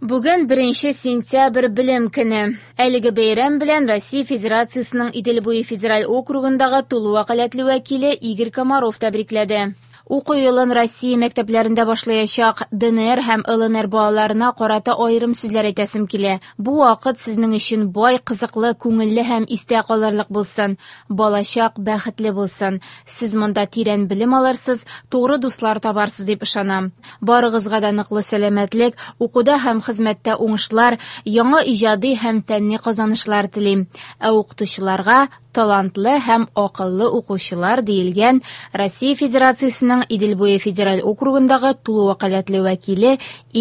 Бүген 1 сентябрь Белем көне. Әлеге бәйрәм белән Россия Федерациясенең Идел буе федераль округындагы тулы вәкаләтле вәкиле Игорь Комаров тәбрикләде. Уку елын Россия мәктәпләрендә башлаячак ДНР һәм ЛНР балаларына карата аерым сүзләр әйтәсем килә. Бу вакыт сезнең өчен бай, кызыклы, күңелле һәм истә калырлык булсын. Балачак бәхетле булсын. Сез монда тирән белем алырсыз, тугры дуслар табарсыз дип ышанам. Барыгызга да ныклы сәламәтлек, укуда һәм хезмәттә уңышлар, яңа иҗади һәм фәнни казанышлар телим. Ә укытучыларга талантлы һәм акыллы укучылар, диелгән Россия Федерациясенең Идел буе федераль округындагы тулы вәкаләтле вәкиле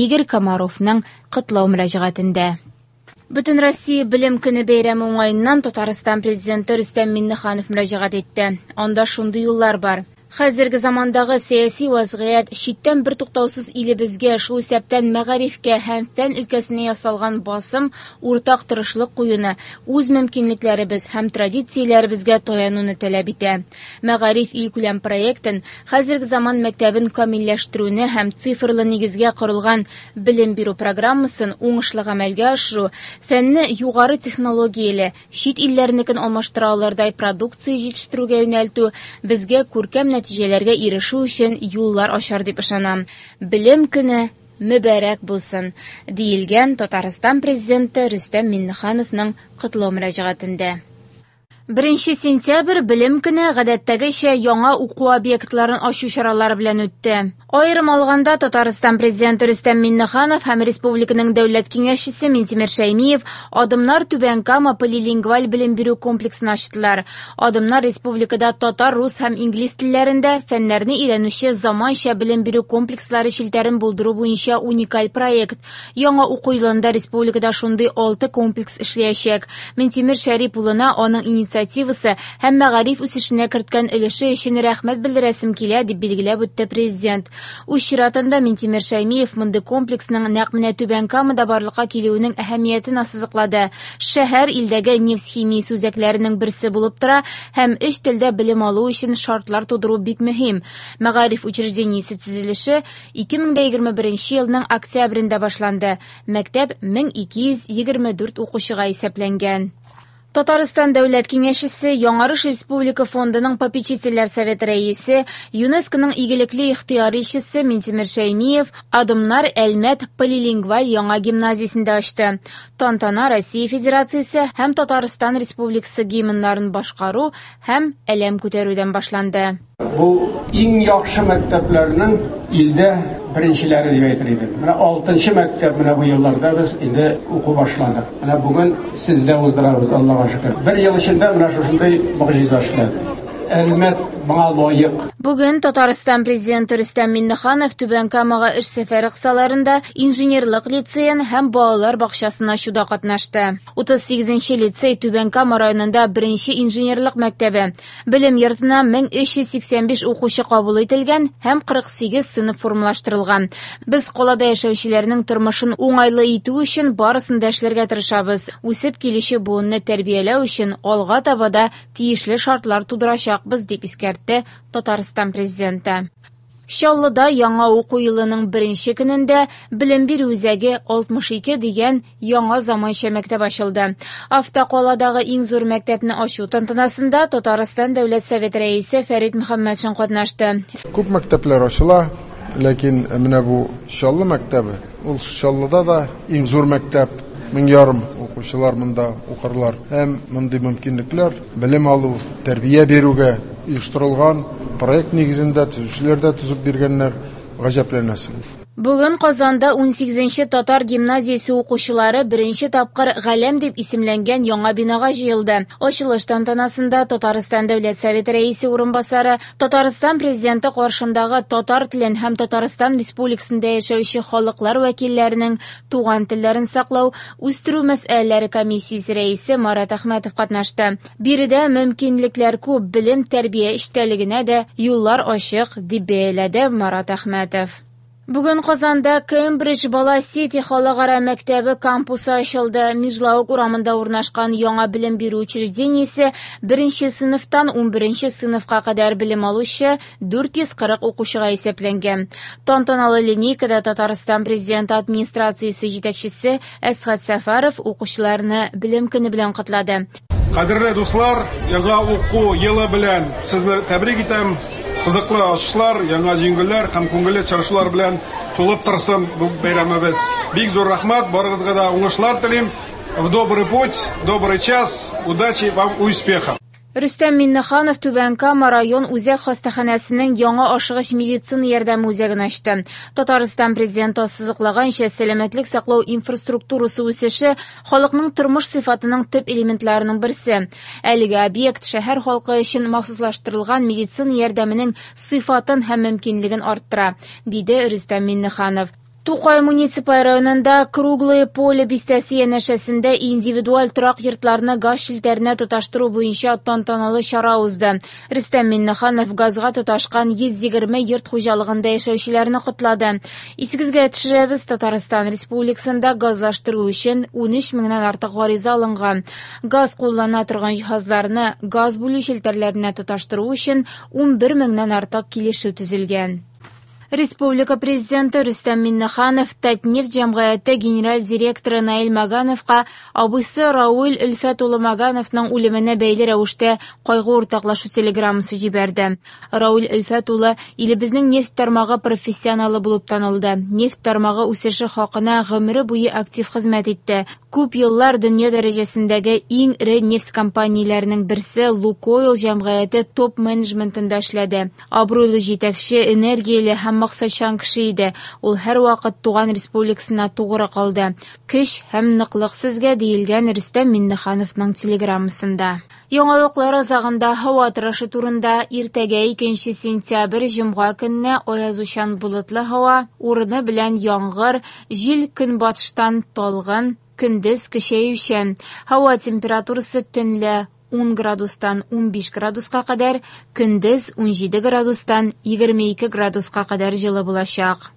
Игорь Комаровның котлау мөрәҗәгатендә. Бөтенроссия белем көне бәйрәме уңаеннан Татарстан президенты Рөстәм Миңнеханов мөрәҗәгать итте. Анда шундый юллар бар. Хәзерге замандагы сәяси вазгыять, читтән бертуктаусыз илебезгә, шул исәптән мәгарифкә һәм фән өлкәсенә ясалган басым уртак тырышлык куюны, үз мөмкинлекләребез һәм традицияләребезгә таянуны таләп итә. Мәгариф илкүләм проектын, хәзерге заман мәктәбен камилләштерүне һәм цифрлы нигезгә корылган белем бирү программасын уңышлы гамәлгә ашыру, фәнне югары технологияле, чит илләрнекен алмаштыра алырдай продукция җитештерүгә юнәлтү безгә күркәм нәтиҗәләргә ирешү өчен юллар ачар дип ышанам. Белем көне мөбарәк булсын, диелгән Татарстан президенты Рөстәм Миңнехановның котлау мөрәҗәгатендә. 1 сентябрь Белем көне гадәттәгечә яңа уку объектларын ачу чаралары белән үтте. Аерым алганда, Татарстан президенты Рөстәм Миңнеханов һәм республиканың дәүләт киңәшчесе Минтимер Шәймиев Адымнар Түбән Кама полилингваль белем бирү комплексын ачтылар. Адымнар республикада татар, рус һәм инглиз телләрендә фәннәрне өйрәнүче заманча белем бирү комплекслары челтәрен булдыру буенча уникаль проект. Яңа уку елында республикада шундый 6 комплекс эшләячәк. Минтимер Шәрип улына аның инициативасы һәм мәгариф үсешенә керткән өлеше өчен рәхмәт белдерәсем килә, дип билгеләп үтте президент. Үз чиратында Минтимер Шәймиев мондый комплексның нәкъ менә Түбән Камада барлыкка килүенең әһәмиятен ассызыклады. Шәһәр илдәге нефть химиясе үзәкләренең берсе булып тора һәм өч телдә белем алу өчен шартлар тудыру бик мөһим. Мәгариф учреждениесе төзелеше 2021 елның октябрендә башланды. Мәктәп 1224 укучыга исәпләнгән. Татарстан Дәүләт Киңәшчесе, Яңарыш Республика фондының попечительләр советы рәисе, ЮНЕСКОның игелекле ихтыяр илчесе Минтимер Шәймиев Адымнар Әлмәт полилингваль яңа гимназиясендә ачты. Тантана Россия Федерациясе һәм Татарстан Республикасы гимннарын башкару һәм әләм күтәрүдән башланды. Бу иң яхшы мәктәпләрнең илдә беренчеләре дип әйтер идем. Менә 6нчы мәктәп менә бу елларда без инде уку башладык. Менә бүген сездә уздырабыз, Аллага шөкер. Бер ел эчендә менә шушындый могҗиза эшләде. Әлмәт моңа лаек. Бүген Татарстан президенты Рөстәм Миңнеханов Түбән Камага эш сәфәре кысаларында инженерлык лицеен һәм балалар бакчасын ачуда катнашты. 38нче лицей Түбән Кама районында беренче инженерлык мәктәбе. Белем йортына 1385 укучы кабул ителгән һәм 48 сыйныф формалаштырылган. Без калада яшәүчеләрнең тормышын уңайлы итү өчен барысын да эшләргә тырышабыз. Үсеп килүче буынны тәрбияләү өчен алга таба да тиешле шартлар тудырачакбыз, дип искәртте Татарстан президенты. Чаллыда яңа уку елының беренче көнендә белем бирү үзәге 62 дигән яңа заманча мәктәп ачылды. Автокаладагы иң зур мәктәпне ачу тантанасында Татарстан Дәүләт Советы рәисе Фәрит Мөхәммәтшин катнашты. Күп мәктәпләр ачыла, ләкин менә бу Чаллы мәктәбе, ул Чаллыда да иң зур мәктәп, 1500 укучылар монда укырлар. Һәм мондый мөмкинлекләр белем алу, тәрбия бирүгә оештырылган проект нигезендә төзүчеләр дә төзеп биргәннәр, гаҗәпләнәсең. Бүген Казанда 18нче татар гимназиясе укучылары беренче тапкыр Галәм дип исемләнгән яңа бинага җыелды. Ачылыш тантанасында Татарстан Дәүләт Советы рәисе урынбасары, Татарстан президенты каршындагы татар телен һәм Татарстан Республикасында яшәүче халыклар вәкилләренең туган телләрен саклау, үстерү мәсьәләләре комиссиясе рәисе Марат Әхмәтов катнашты. Биредә мөмкинлекләр күп, белем тәрбия эчтәлегенә дә юллар ачык, дип бәяләде Марат Әхмәтов. Бүген Казанда Кембридж Бала Сити халыкара мәктәбе кампусы ачылды. Межлаук урамында урнашкан яңа белем бирү учреждениесе беренче сыйныфтан 11 сыйныфка кадәр белем алучы 440 укучыга исәпләнгән. Тантаналы линейкада Татарстан Президенты администрациясе җитәкчесе Әсгать Сәфәров укучыларны белем көне белән котлады. Кадерле дуслар, яңа уку елы белән сезне тәбрик итәм. Кызыклы ачышлар, яңа җиңүләр һәм күңелле чаралар белән тулып торсын бу бәйрәмебез. Бик зур рәхмәт, барыгызга да уңышлар телим. В добрый путь, добрый час, удачи вам, успехов. Рөстәм Миңнеханов Түбән Кама район үзәк хастаханәсенең яңа ашыгыч медицина ярдәме үзәген ачты. Татарстан президенты ассызыклаганча, сәламәтлек саклау инфраструктурасы үсеше халыкның тормыш сыйфатының төп элементларының берсе. Әлеге объект шәһәр халкы өчен махсуслаштырылган медицина ярдәменең сыйфатын һәм мөмкинлеген арттыра, диде Рөстәм Миңнеханов. Тукай муниципаль районында Круглое поле бистәсе янәшәсендә индивидуаль торак йортларны газ челтәренә тоташтыру буенча тантаналы чара узды. Рөстәм Миңнеханов газга тоташкан 120 йорт хуҗалыгында яшәүчеләрне котлады. Исегезгә төшерәбез, Татарстан Республикасында газлаштыру өчен 13 меңнән артык гариза алынган. Газ куллана торган җиһазларны газ бүлү челтәрләренә тоташтыру өчен 11 меңнән артык килешү төзелгән. Республика президенты Рөстәм Миңнеханов Татнефть җәмгыяте генераль директоры Наил Магановка абыйсы Рауль Өлфәт улы Магановның үлеменә бәйле рәвештә кайгы уртаклашу телеграммасы җибәрде. Рауль Өлфәт улы илебезнең нефть тармагы профессионалы булып танылды. Нефть тармагы үсеше хакына гомере буе актив хезмәт итте. Күп еллар дөнья дәрәҗәсендәге иң эре нефть компанияләренең берсе Лукойл җәмгыяте топ-менеджментында эшләде. Абруйлы җитәкче, энергияле һәм максатчан кеше иде. Ул һәрвакыт туган республикасына тугры калды. Көч һәм ныклык сезгә, диелгән Рөстәм Миңнехановның телеграммасында. Яңалыклар азагында һава торышы турында. Иртәгә 2 сентябрь җомга көнне аязучан болытлы һава, урыны белән яңгыр, җил көнбатыштан талгын, көндез көчәючән. Һава температурасы төнлә 10 градустан 15 градуска кадәр, көндез 17 градустан 22 градуска кадәр җылы булачак.